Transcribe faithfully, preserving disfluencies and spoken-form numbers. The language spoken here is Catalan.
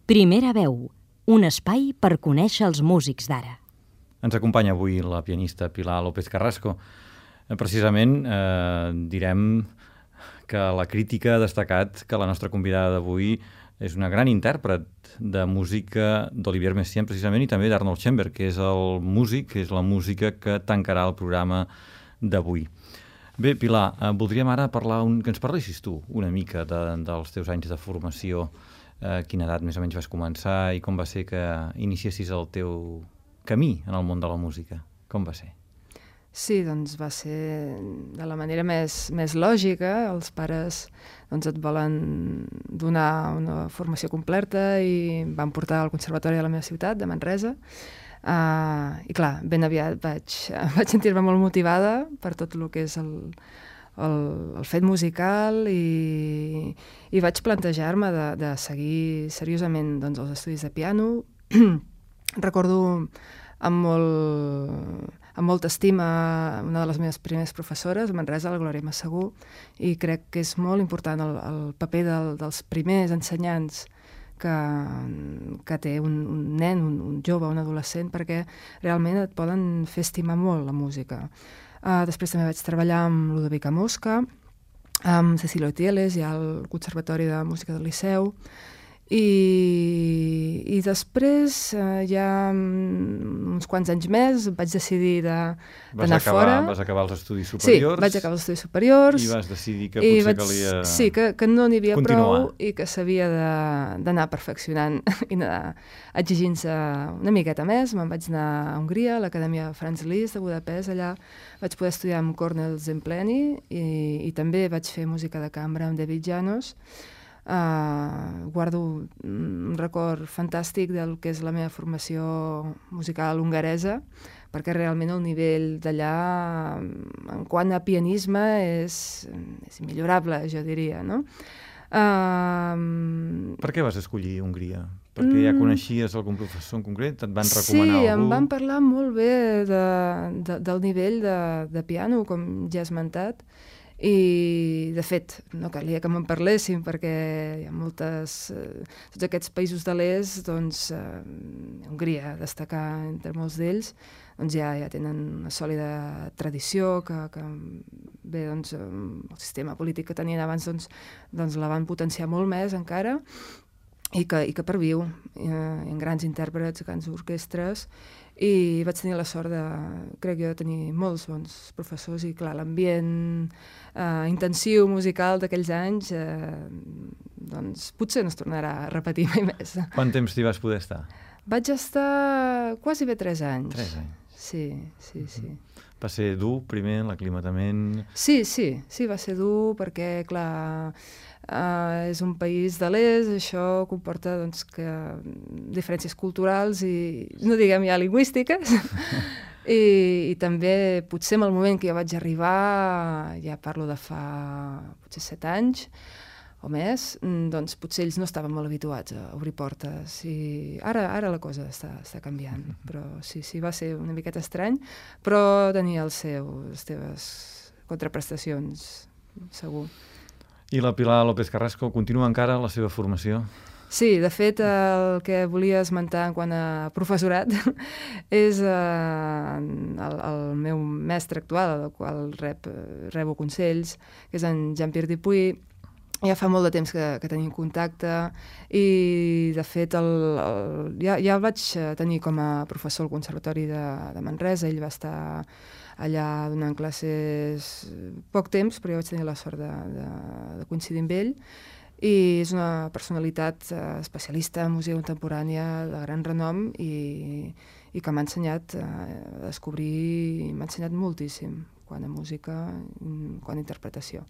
Primera veu, un espai per conèixer els músics d'ara. Ens acompanya avui la pianista Pilar López Carrasco. Precisament eh, direm que la crítica ha destacat que la nostra convidada d'avui és una gran intèrpret de música d'Olivier Messiaen, precisament, i també d'Arnold Schoenberg, que és el músic, que és la música que tancarà el programa d'avui. Bé, Pilar, eh, voldríem ara parlar un, que ens parlessis tu una mica de, dels teus anys de formació, eh, quina edat més o menys vas començar i com va ser que iniciessis el teu camí en el món de la música. Com va ser? Sí, doncs va ser de la manera més, més lògica. Els pares doncs, et volen donar una formació completa i em van portar al conservatori de la meva ciutat, de Manresa. Uh, I clar, ben aviat vaig, vaig sentir-me molt motivada per tot el que és el, el, el fet musical i, i vaig plantejar-me de, de seguir seriosament doncs, els estudis de piano. Recordo amb molt... amb molta estima una de les meves primeres professores, a Manresa, la Glòria Massagú, i crec que és molt important el, el paper del, dels primers ensenyants que, que té un, un nen, un, un jove, un adolescent, perquè realment et poden fer estimar molt la música. Uh, després també vaig treballar amb Ludovica Mosca, amb Cecilio Tieles, ja al Conservatori de Música del Liceu, I, i després, eh, ja uns quants anys més, vaig decidir d'anar fora. Vas acabar els estudis superiors? Sí, vaig acabar els estudis superiors. I vas decidir que potser vaig, calia Sí, que, que no n'hi havia continuar. Prou i que s'havia d'anar perfeccionant i anar exigint-se una miqueta més. Me'n vaig anar a Hongria, a l'Acadèmia Franz Liszt de Budapest. Allà vaig poder estudiar amb Kornél Zempleni i, i també vaig fer música de cambra amb David Janos. Uh, guardo un record fantàstic del que és la meva formació musical hongaresa, perquè realment el nivell d'allà en quant a pianisme és, és immillorable, jo diria, no? Uh, per què vas escollir Hongria? Perquè ja coneixies algun professor en concret? Et van recomanar sí, algú? Sí, em van parlar molt bé de, de, del nivell de, de piano, com ja he esmentat. I, de fet, no calia que me'n parlessin perquè hi ha moltes... Eh, tots aquests països de l'est, doncs, eh, Hongria, destacar entre molts d'ells, doncs ja, ja tenen una sòlida tradició que, que bé, doncs, el sistema polític que tenien abans doncs, doncs la van potenciar molt més encara i que, i que perviu eh, en grans intèrprets, grans orquestres, i vaig tenir la sort de, crec jo, de tenir molts bons professors i, clar, l'ambient eh, intensiu musical d'aquells anys, eh, doncs potser no es tornarà a repetir mai més. Quant temps t'hi vas poder estar? Vaig estar quasi bé tres anys. Tres anys? Sí, sí, sí. Va ser dur, primer, l'aclimatament? Sí, sí, sí, va ser dur perquè, clar, uh, és un país de l'est, això comporta doncs, que diferències culturals i, no diguem ja lingüístiques, I, i també potser en el moment que jo vaig arribar, ja parlo de fa potser set anys, o més, doncs potser ells no estaven molt habituats a obrir portes i ara, ara la cosa està, està canviant, però sí, sí, va ser una miqueta estrany, però tenia els seus, les seves contraprestacions, segur. I la Pilar López Carrasco continua encara la seva formació? Sí, de fet, el que volia esmentar en quant a professorat és eh, el, el meu mestre actual, del qual rep, rebo consells, que és en Jean-Pierre Dupuy. Ja fa molt de temps que, que tenim contacte i, de fet, el, el, ja, ja el vaig tenir com a professor al Conservatori de, de Manresa. Ell va estar allà donant classes poc temps, però jo vaig tenir la sort de, de, de coincidir amb ell. I és una personalitat especialista en música contemporània de gran renom i, i que m'ha ensenyat a descobrir, m'ha ensenyat moltíssim quant a música, quant a interpretació.